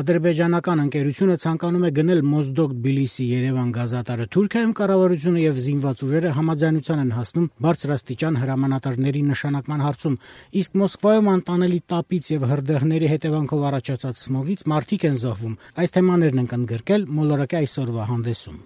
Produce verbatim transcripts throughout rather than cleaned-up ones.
Ադրբեջանական ընկերությունը ցանկանում է գնել Մոզդոկ Թբիլիսի-Երևան գազատարը։ Թուրքիայում կառավարությունը եւ զինված ուժերը համաձայնության են հասնում բարձրաստիճան հրամանատարների նշանակման հարցում, իսկ Մոսկվայում անտանելի տապից եւ հրդեհների հետևանքով առաջացած սմոգից մարդիկ են զոհվում։ Այս թեմաներն ենք ընդգրկել մոլորակի այսօրվա հանդեսում։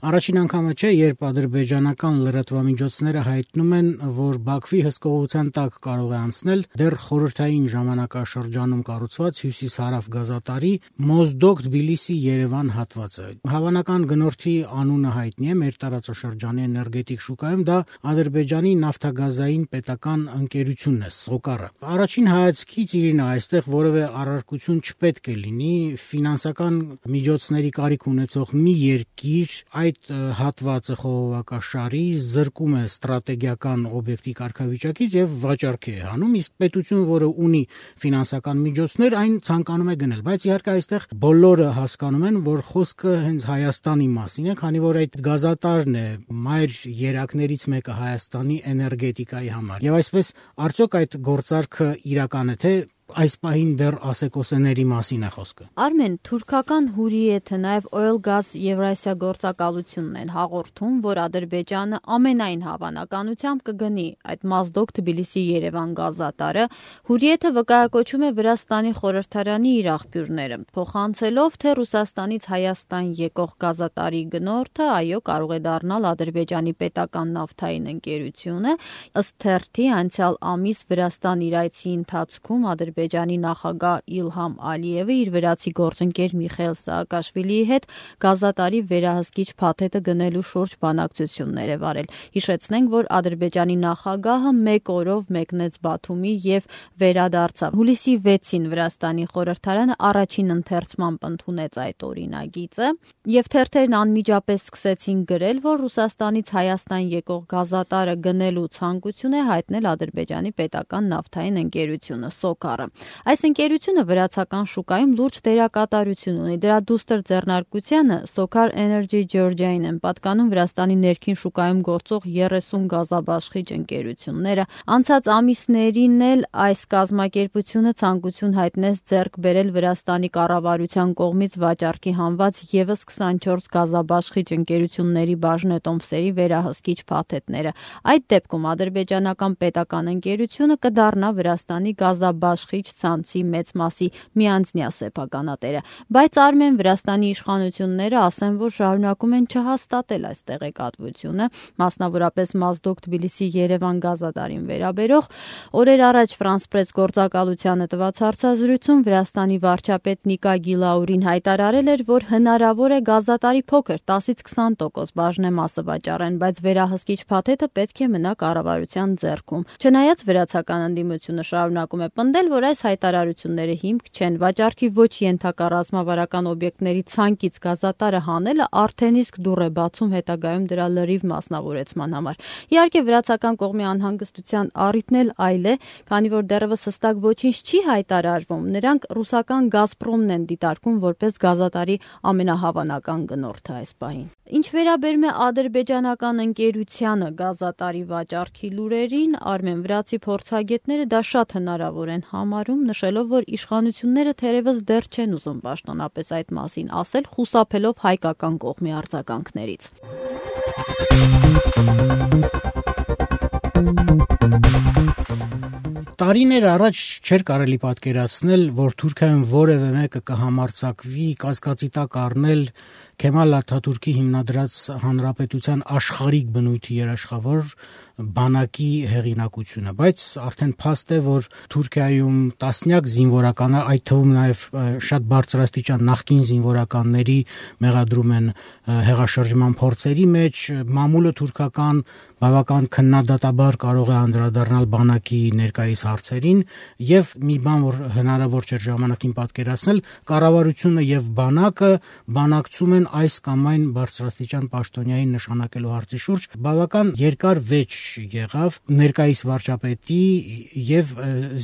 Առաջին անգամը չէ, երբ ադրբեջանական լրատվամիջոցները հայտնում են, որ Բաքվի հսկողության տակ կարող է անցնել դեռ խորհրդային ժամանակաշրջանում կառուցված հյուսիս-հարավ գազատարի Մոզդոկ Թբիլիսի-Երևան հատվածը։ Հավանական գնորդի անունը հայտնի է մեր տարածաշրջանի էներգետիկ շուկայում, դա Ադրբեջանի նավթագազային պետական ընկերությունն է, Սոկարը։ Առաջին հայացքից Իրինա, այստեղ որևէ առարկություն չպետք է լինի, ֆինանսական միջոցների կարիք ունեցող մի երկիր այդ հատվածը խողովակաշարի զրկում է ստրատեգիական օբյեկտի կարգավիճակից եւ վաճառքի է հանում, իսկ պետությունը, որը ունի ֆինանսական միջոցներ, այն ցանկանում է գնել, բայց իհարկե այստեղ բոլորը հասկանում են, որ խոսքը հենց Հայաստանի մասին է, քանի որ այդ գազատարն է մայր երակներից մեկը Հայաստանի էներգետիկայի համար։ Եվ այսպես արդյոք այդ գործարքը իրական է, թե այս պահին դեռ ասեկոսեների մասին է խոսքը։ Արմեն, թուրքական Հուրիեթը, նաև Oil-Gas Եվրասիա գործակալությունն են հաղորդում, որ Ադրբեջանը ամենայն հավանականությամբ կգնի այդ Մոզդոկ Թբիլիսի-Երևան գազատարը։ Հուրիեթը վկայակոչում է Վրաստանի խորհրդարանի իր աղբյուրները, փոխանցելով, թե Ռուսաստանից Հայաստան եկող գազատարի գնորդը, այո, կարող է դառնալ Ադրբեջանի պետական նավթային ընկերությունը։ Ըստ թերթի, անցյալ ամիս Վրաստան իր այցի ընթացքում Ադրբեջանի նախագահ Իլհամ Ալիևը իր վրացի գործընկեր Միխայիլ Սաակաշվիլիի հետ գազատարի վերահսկիչ փաթեթը գնելու շուրջ բանակցություններ է վարել։ Հիշեցնենք, որ Ադրբեջանի նախագահը մեկ օրով մեկնեց Բաթումի եւ վերադարձավ։ Հուլիսի վեցին Վրաստանի խորհրդարանը առաջին ընթերցմամբ ընդունեց այդ օրինագիծը, եւ թերթերն անմիջապես սկսեցին գրել, որ Ռուսաստանից Հայաստան եկող գազատարը գնելու ցանկություն է հայտնել Ադրբեջանի պետական նավթային ընկերությունը Սոկարը։ Այս ընկերությունը վրացական շուկայում լուրջ դերակատարություն ունի։ Դրա դուստր ձեռնարկությանը Սոկար Energy Georgia-ին են պատկանում Վրաստանի ներքին շուկայում գործող երեսուն գազաբաշխիչ ընկերությունները։ Անցած ամիսներին էլ այս կազմակերպությունը ցանկություն հայտնեց ձեռք բերել Վրաստանի կառավարության կողմից վաճառքի հանված եւս քսանչորս գազաբաշխիչ ընկերությունների բաժնետոմսերի վերահսկիչ փաթեթները։ Այդ դեպքում ադրբեջանական պետական ընկերությունը կդառնա Վրաստանի գազաբաշխիչ ցանցի մեծ մասի միանձնյա սեփականատերը, բայց Արմեն, Վրաստանի իշխանությունները ասեն, որ շարունակում են չհաստատել այս տեղեկատվությունը, մասնավորապես Մոզդոկ Թբիլիսի-Երևան գազատարին վերաբերող։ Օրեր առաջ France Press գործակալությանը տված հարցազրույցում Վրաստանի վարչապետ Նիկա Գիլաուրին հայտարարել էր, որ հնարավոր է գազատարի փոքր տասից քսան տոկոս բաժնեմասը վաճառեն, բայց վերահսկիչ փաթեթը պետք է մնա կառավարության ձեռքում։ Չնայած վրացական ընդդիմությունը շարունակում է պնդել, որ այս հայտարարությունները հիմք չեն, վաճառքի ոչ ենթակա ռազմավարական օբյեկտների ցանկից գազատարը հանելը արդեն իսկ դուռ է բացում հետագայում դրա լրիվ մասնավորեցման համար։ Իհարկե վրացական կողմի անհանգստության առիթն էլ այլ է, քանի որ դեռևս հստակ ոչինչ չի հայտարարվում։ Նրանք ռուսական Գազպրոմն են դիտարկում որպես գազատարի ամենահավանական գնորդը այս պահին։ Ինչ վերաբերում է ադրբեջանական ընկերությանը գազատարի վաճառքի լուրերին, Արմեն, վրացի փորձագետները դա շատ հնարավոր են համարում, նշելով, որ իշխանությունները թերևս դեռ չեն ուզում պաշտոնապես այդ մասին ասել, խուսափելով հայկական կողմի արձագանքներից։ Տարիներ առաջ չէր կարելի պատկերացնել, որ Թուրքիայում որևէ մեկը կհամարձակվի կասկածի տակ առնել Քեմալ Աթաթուրքի հիմնադրած հանրապետության աշխարհիկ բնույթի երաշխավոր բանակի հեղինակությունը, բայց արդեն փաստ է, որ Թուրքիայում տասնյակ զինվորականը, այդ թվում նաև շատ բարձրաստիճան նախկին զինվորականների մեղադրում են հեղաշրջման փորձերի մեջ, մամուլը թուրքական բավական քննադատաբար կարող է անդրադառնալ բանակի ներկայիս հարցերին եւ մի բան, որ հնարավոր չէ ժամանակին պատկերացնել, կառավարությունը եւ բանակը բանակցում են այս կամ այն բարձրաստիճան պաշտոնյայի նշանակելու հարցի շուրջ բավական երկար վեճ եղավ ներկայիս վարչապետի եւ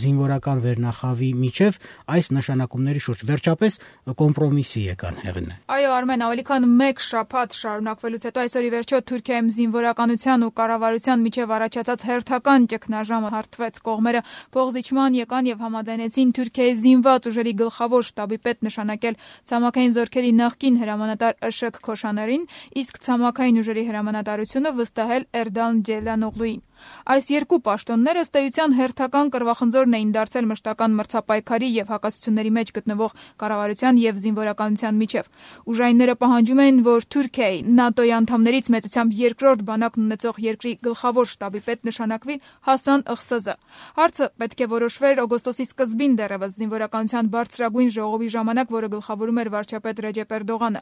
զինվորական վերնախավի միջև այս նշանակումների շուրջ։ Վերջապես կոմպրոմիսի եկան հեղինը։ Այո, Արմեն, ավելի քան մեկ շաբաթ շարունակվելուց հետո այսօր ի վերջո Թուրքիայում զինվորականության ու կառավարության միջև առաջացած հերթական ճգնաժամը հարթվեց։ Կողմերը փոխզիջման եկան եւ համաձայնեցին Թուրքիայի զինված ուժերի գլխավոր շտաբի պետ նշանակել ցամաքային զորքերի նախկին հրամանատար Ըշըկ Քոշաներին, իսկ ցամաքային ուժերի հրամանատարությունը վստահել Էրդան Ջելանօղլուին։ Այս երկու պաշտոնները ըստ էության հերթական կռվախնձորն էին դարձել մշտական մրցապայքարի եւ հակասությունների մեջ գտնվող կառավարության եւ զինվորականության միջև։ Ուժայինները պահանջում էին, որ Թուրքիայի ՆԱՏՕ-ի անդամներից մեծությամբ երկրորդ բանակն ունեցող երկրի գլխավոր շտաբի պետ նշանակվի Հասան Ըղսազը։ Հարցը պետք է որոշվեր օգոստոսի սկզբին դեռևս զինվորականության բարձրագույն ժողովի ժամանակ, որը գլխավորում էր վարչապետ Ռեջեփ Էրդողանը։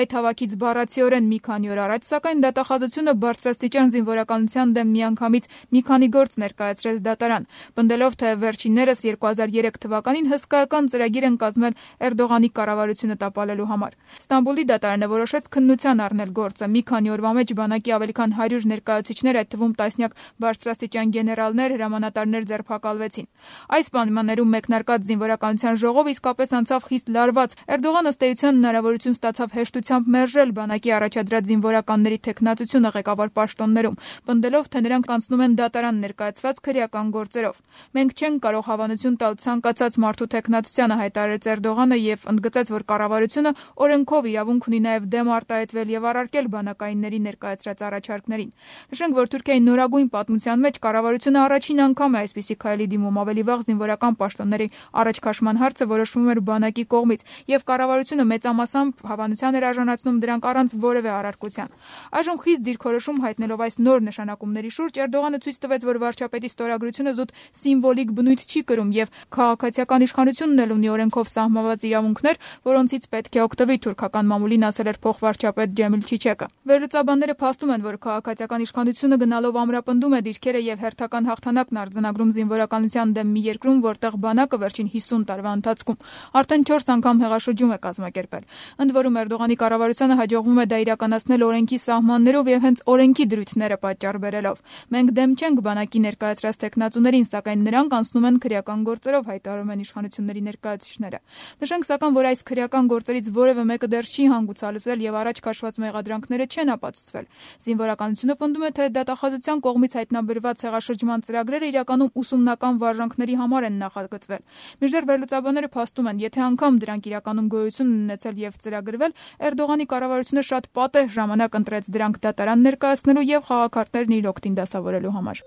Այդ հավաքից բառացիորեն մի քանի օր առաջ, սակայն դատախազությունը բարձրաստիճան զինվորականության դեմ միանգամից մի քանի գործ ներկայացրեց դատարան, պնդելով, թե վերջիններս երկու հազար երեք թվականին հսկայական ծրագիր են կազմել Էրդողանի կառավարությունը տապալելու համար։ Ստամբուլի դատարանը որոշեց քննության առնել գործը։ Մի քանի օրվա մեջ բանակի ավելի քան հարյուր ներկայացուցիչներ, այդ թվում տասնյակ բարձրաստիճան գեներալներ, հրամանատարներ ձերբակալվեցին։ Այս պայմաններում մեկնարկած զինվորականության ժողով իսկապես անցավ խիստ լարված։ Էրդողանը ըստ էության հնարավորություն ստացավ հեշտությամբ մերժել բանակի առաջադրած զինվորականների թեկնածությունը ղեկավար պաշտոններում, պնդելով, թե նրանք անցնում են դատարան ներկայացված քրեական գործերով։ Մենք չենք կարող հավանություն տալ ցանկացած մարդու թեկնածությանը, հայտարարեց Էրդողանը եւ ընդգծեց, որ կառավարությունը օրենքով իրավունք ունի նաեւ դեմ արտահայտվել եւ առարկել բանակայինների ներկայացրած առաջարկներին։ Նշենք, որ Թուրքիայի նորագույն պատմության մեջ կառավարությունը առաջին անգամ է այսպիսի քայլի դիմում։ Ավելի վաղ զինվորական պաշտոնների առաջ քաշման հարցը որոշվում էր բանակի կողմից եւ կառավարությունը մեծամասամբ հավանության էր արժանացնում դրանք առանց որևէ առարկության։ Այժմ խիստ դիրքորոշում հայտնելով այս նոր նշանակումների շուրջ Էրդողանը ցույց տվեց, որ վարչապետի ստորագրությունը զուտ սիմվոլիկ բնույթ չի կրում եւ քաղաքացիական իշխանությունն էլ ունի օրենքով սահմանված իրավունքներ, որոնցից պետք է օգտվի թուրքական մամուլին, ասել էր փոխվարչապետ Ջեմիլ Չիչեկը։ Վերլուծաբանները փաստում են, որ քաղաքացիական իշխանությունը գնալով ամրապնդում է դիրքերը եւ հերթական հաղթանակն արձանագրում զինվորականության դեմ մի երկրում, որտեղ բանակը վերջին հիսուն տարվա ընթացքում արդեն չորս անգամ հեղաշրջում է կազմակերպել։ Ընդ որում Էրդողանի կառավարությանը հաջողվում է դա իրականացնել օրենքի սահմաններով եւ հենց օրենքի դրույթները պատճառ բերելով։ Մենք դեմ չենք բանակի ներկայացրած տեխնացուներին, սակայն նրանք անցնում են քրեական գործերով, հայտարարում են իշխանությունների ներկայացուցիչները։ Նշենք սակայն, որ այս քրեական գործերից որևէ մեկը դեռ չի հանգուցալուծվել եւ առաջ քաշված մեղադրանքները չեն ապացուցվել։ Զինվորականությունը պնդում է, թե դատախազության կողմից հայտնաբերված հեղաշրջման ծրագրերը իրականում ուսումնական վարժանքների համար են նախագծվել։ Մինչդեռ վերլուծաբանները փաստում են, եթե անգամ դրանք իրականում գոյություն ունեցել եւ ծրագրվել, Էրդողանի կառավարությունը շատ պատեհ ժամանակ ընտրեց դրանք դատարան ներկայացնելու եւ խաղաքարտներն իր օգտին դասավորելու համար։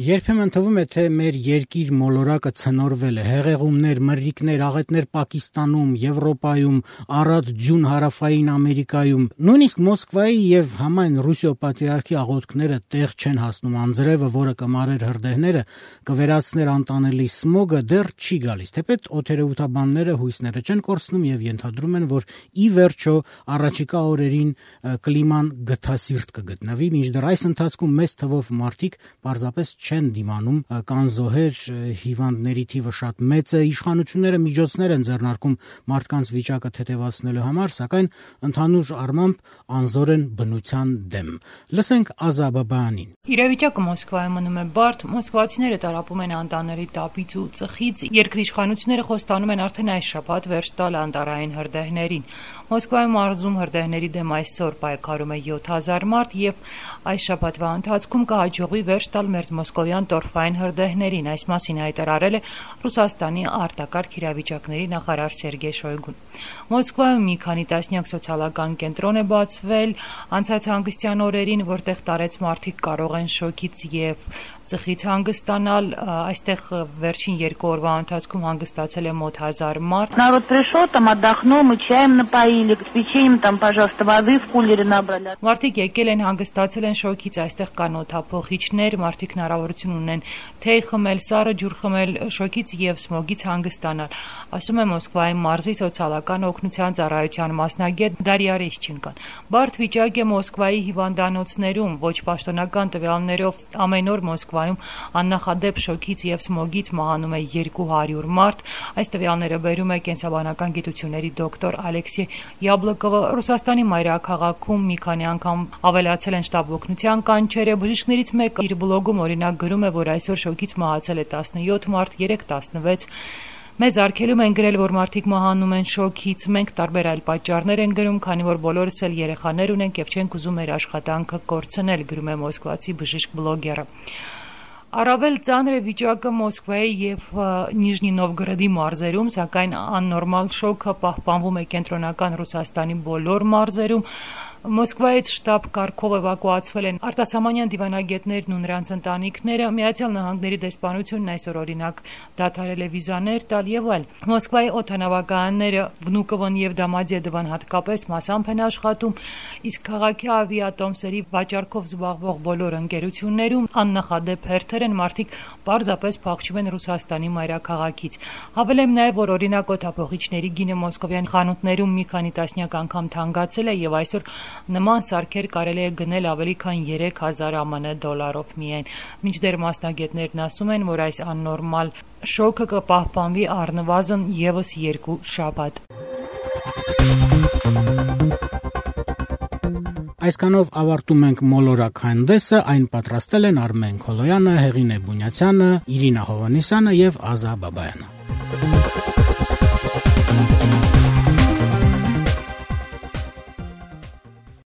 Երբեմն թվում է, թե մեր երկիր մոլորակը ցնորվել է, հեղեղումներ, մրրիկներ, աղետներ Պակիստանում, Եվրոպայում, առատ ձյուն հարավային Ամերիկայում, նույնիսկ Մոսկվայի եւ համայն Ռուսիո պատրիարքի աղոթքները տեղ չեն հասնում, անձրևը, որը կմարեր հրդեհները, կվերացներ անտանելի սմոգը, դեռ չի գալիս։ Թեպետ օդերևութաբանները հույսները չեն կորցնում եւ ենթադրում են, որ ի վերջո առաջիկա օրերին կլիման գթասիրտ կգտնվի, մինչդեռ այս ընթացքում մեծ թվով մարդիկ պարզապես չեն դիմանում, կան զոհեր, հիվանդների թիվը շատ մեծ է, իշխանությունները միջոցներ են ձեռնարկում մարդկանց վիճակը թեթևացնելու համար, սակայն ընդհանուր առմամբ անզոր են բնության դեմ։ Լսենք Ազա Բաբայանին։ Իրավիճակը Մոսկվայում մնում է բարդ, մոսկվացիները տարապում են անտանելի տապից ու ծխից, երկրի իշխանությունները խոստանում են արդեն այս շաբաթ վերջ տալ անտառային հրդեհներին։ Մոսկվայում մարզում հրդեհների դեմ այսօր պայքարում է յոթ հազար մարդ եւ այս շաբաթվա ընթացքում կհաջողվի վերջ տալ մերձմոսկովյան տորֆային հրդեհներին, այս մասին հայտարարել է Ռուսաստանի արտակարգ իրավիճակների նախարար Սերգեյ Շոյգուն։ Մոսկվայում մի քանի տասնյակ սոցիալական կենտրոն է բացվել անցած հանգստյան օրերին, որտեղ տարեց մարդիկ կարող են շոկից եւ ծխից հանգստանալ, այստեղ վերջին երկու օրվա ընթացքում հանգստացել է մոտ հազար մարդ։ Народ пришел, там отдохнул, мы чаем напоили, с печеньем там, пожалуйста, воды в кулере набрали. Մարդիկ եկել են, հանգստացել են շոկից, այստեղ կան օդափոխիչներ, մարդիկ հնարավորություն ունեն թեյ խմել, սառը ջուր խմել, շոկից եւ սմոգից հանգստանալ։ Ասում է Մոսկվայի մարզի սոցիալական օգնության ծառայության մասնագետ Դարիա Ռեշչենկոն։ Բարդ վիճակ է Մոսկվայի հիվանդանոցներում, ոչ պաշտոնական տվյալներով ամեն օր Մոսկվա Մոսկվայում աննախադեպ շոկից եւ սմոգից մահանում է երկու հարյուր մարդ։ Այս տվյալները բերում է կենսաբանական գիտությունների դոկտոր Ալեքսեյ Յաբլոկովը։ Ռուսաստանի մայրաքաղաքում մի քանի անգամ ավելացել են շտապ օգնության կանչերը։ Բժիշկներից մեկը իր բլոգում օրինակ գրում է, որ այսօր շոկից մահացել է տասնյոթ մարդ, երեկ տասնվեց։ Մեզ արգելում են գրել, որ մարդիկ մահանում են շոկից, մենք տարբեր այլ պատճառներ են գրում, քանի որ բոլորս էլ երեխաներ ունենք եւ չենք ուզում մեր աշխատանքը կորցնել, գրում է մոսկվացի բժիշկ բլոգերը։ Առավել ծանր է վիճակը Մոսկվայի եւ Նիժնի Նովգորոդի մարզերում, սակայն աննորմալ շոկը պահպանվում է կենտրոնական Ռուսաստանի բոլոր մարզերում։ Մոսկվայից շտապ կարգով էվակուացվել են արտասահմանյան դիվանագետներն ու նրանց ընտանիքները, Միացյալ Նահանգների դեսպանությունն այսօր օրինակ դադարել է վիզաներ տալ եւ այլ։ Մոսկվայի օդանավակայանները Վնուկովոն եւ Դամադեդովան հատկապես մասամբ են աշխատում, իսկ քաղաքի ավիատոմսերի վաճառքով զբաղվող բոլոր ընկերություններում աննախադեպ հերթեր են, մարդիկ պարզապես փախչում են Ռուսաստանի մայրաքաղաքից։ Հավելեմ նաեւ, որ օրինակ օդափողիչների գինը մոսկովյան խանութներում մի քանի տասնյակ անգամ թանկացել է եւ այսօր նման սարքեր կարելի է գնել ավելի քան երեք հազար ԱՄՆ դոլարով միայն։ Մինչդեռ մասնագետներն ասում են, որ այս աննորմալ շոկը կպահպանվի առնվազն եւս երկու շաբաթ։ Այսքանով ավարտում ենք մոլորակ հանդեսը, այն պատրաստել են Արմեն Քոլոյանը, Հեղինե Բունյացյանը, Իրինա Հովանեսյանը եւ Ազա Բաբայանը։